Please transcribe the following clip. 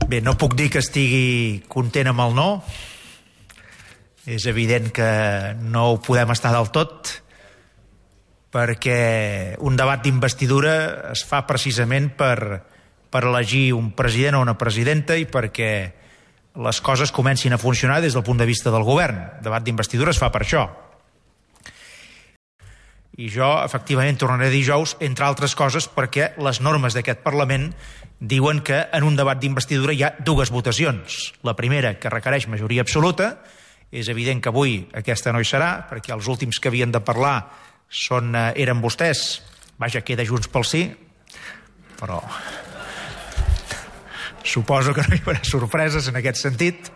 Bé, no puc dir que estigui content amb el no. És evident que no ho podem estar del tot, perquè un debat d'investidura es fa precisament per elegir un president o una presidenta i perquè les coses comencin a funcionar des del punt de vista del govern. El debat d'investidura es fa per això. I jo, efectivament, tornaré dijous, entre altres coses, perquè les normes d'aquest Parlament diuen que en un debat d'investidura hi ha dues votacions. La primera, que requereix majoria absoluta. És evident que avui aquesta no hi serà, perquè els últims que havien de parlar eren vostès. Vaja, queda Junts pel Sí, però suposo que no hi haurà sorpreses en aquest sentit.